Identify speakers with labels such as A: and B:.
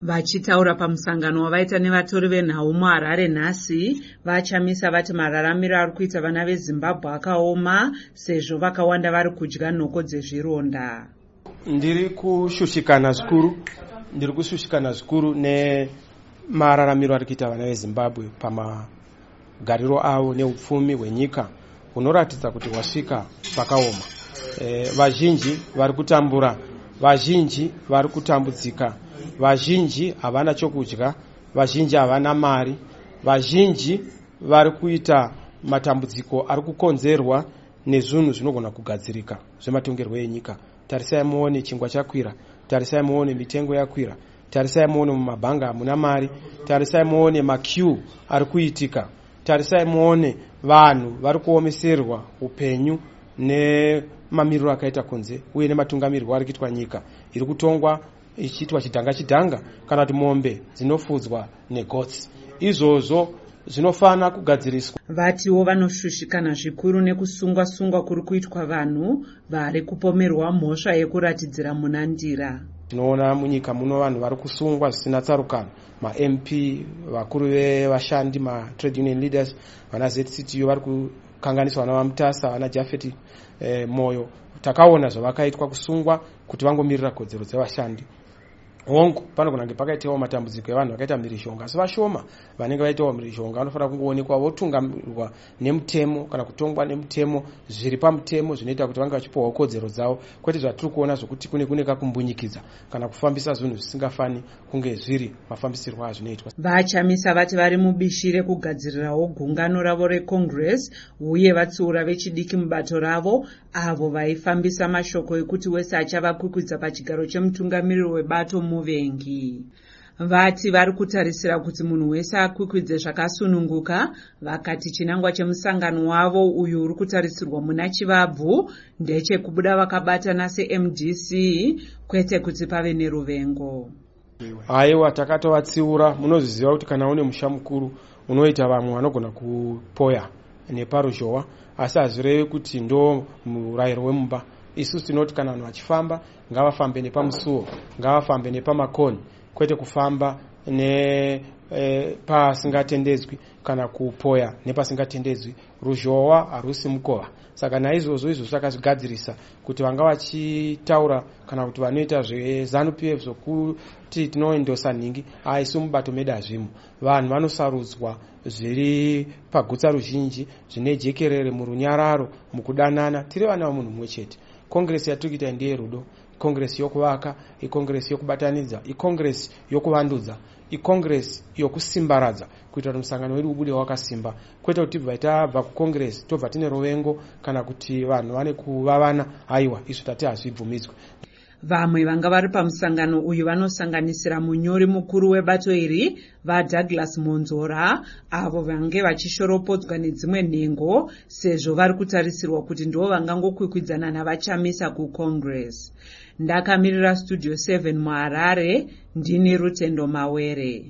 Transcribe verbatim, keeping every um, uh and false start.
A: Vachitaura pamusangano wavaita nevatori venhau muHarare nhasi, VaChamisa vati mararamiro ari kuita vana veZimbabwe akaoma sezvo vakawanda vari kudya nhoko dzezvironda.
B: Ndiri kushushikana zvikuru, ndiri kushushikana zvikuru nemararamiro ari kuita vana veZimbabwe pamagariro avo neupfumi hwenyika hunoratidza kuti hwasvika pakaoma. E, vazhinji vari kutambura, vazhinji vari kutambudzika, vazhinji havana chokudya, vazhinji havana mari, vazhinji vari kuita matambudziko ari kukonzerwa nezvinhu zvinogona kugadzirika zvematongerwo enyika. Tarisai muone chingwa chakwira, tarisai muone mitengo yakwira, tarisai muone mumabhanga hamuna mari, tarisai muone maqueue ari kuitika, tarisai muone vanhu vari kuomeserwa upenyu nemamiriro akaita kunze uye nematungamiriro ari kuitwa nyika iri kutongwa ichiitwa chidhanga chidhanga kana kuti mombe dzinofudzwa negotsi. Izvozvo zvinofana kugadziriswa.
A: Vatiwo vanoshushikana zvikuru nekusungwa-sungwa kuri kuitwa vanhu vari kupomerwa mhosva yekuratidzira muna Ndira.
B: Tinoona munyika muno vanhu vari kusungwa zvisina tsarukano, maM P, vakuru vevashandi, matrade union leaders, vana Z C T U vari kukanganiswa, vana vaMutasa, vana Jafeti eh, Moyo. Takaona zvavakaitwa, kusungwa kuti vangomirira kodzero dzevashandi. Hongu, panogona kunge pakaitawo matambudziko evanhu vakaita mhirizhonga, asi vashoma vanenge vaitawo mhirizhonga vanofanira kungoonekwa votungamirwa nemutemo kana kutongwa nemutemo, zviri pamutemo, zvinoita kuti vange vachipiwawo kodzero dzavo, kwete zvatiri kuona zvokuti kune kune kakumbunyikidza kana kufambisa zvinhu zvisingafani kunge zviri mafambisirwo azvinoitwa.
A: VaChamisa vati vari mubishi rekugadzirirawo gungano ravo reCongress uye vatsiura vechidiki mubato ravo avo vaifambisa mashoko ekuti wese achavakwikwidza pachigaro chemutungamiriri webato muvengi. Vati vari kutarisira kuti munhu wese akwikwidze zvakasununguka. Vakati chinangwa chemusangano wavo uyu uri kutarisirwa muna Chivabvu ndechekubuda vakabatana seM D C, kwete kuti pave neruvengo.
B: Aiwa, takatovatsiura. Munozviziva kuti kana une musha mukuru unoita vamwe vanogona kupoya neparuzhowa, asi hazvirevi kuti ndo murayiro wemumba. Isusu tinoti kana vanhu vachifamba, ngavafambe nepamusuwo, ngavafambe nepamakoni, kwete kufamba nepasingatendedzwi e, kana kupoya nepasingatendedzwi. Ruzhowa harusi mukova. Saka naizvozvo izvozvo takazvigadzirisa kuti vanga vachitaura kana kuti vanoita zveZANU P F zvokuti tinoendosa nhingi, aisu mubato medu hazvimo. Vanhu vanosarudzwa zviri pagutsa ruzhinji, zvine jekerere, murunyararo, mukudanana, tiri vana vamunhu mumwe chete. Congress yatiri kuita ndeyerudo, icongress yokuvaka, icongress yokubatanidza, icongress yokuvandudza, icongress yokusimbaradza, kuitira kuti musangano wedu ubude wakasimba, kwete kuti tibva tabva kucongress tobva tine ruvengo kana kuti vanhu vane kuvavana. Haiwa, izvo tati hazvibvumidzwe.
A: Vamwe vanga vari pamusangano uyu vanosanganisira munyori mukuru webato iri, VaDouglas Monzora, avo vange vachishoropodzwa nedzimwe nhengo sezvo vari kutarisirwa kuti ndo vangangokwikwidzana naVaChamisa kuCongress. Ndakamirira Studio seven muHarare, ndini Rutendo Mawere.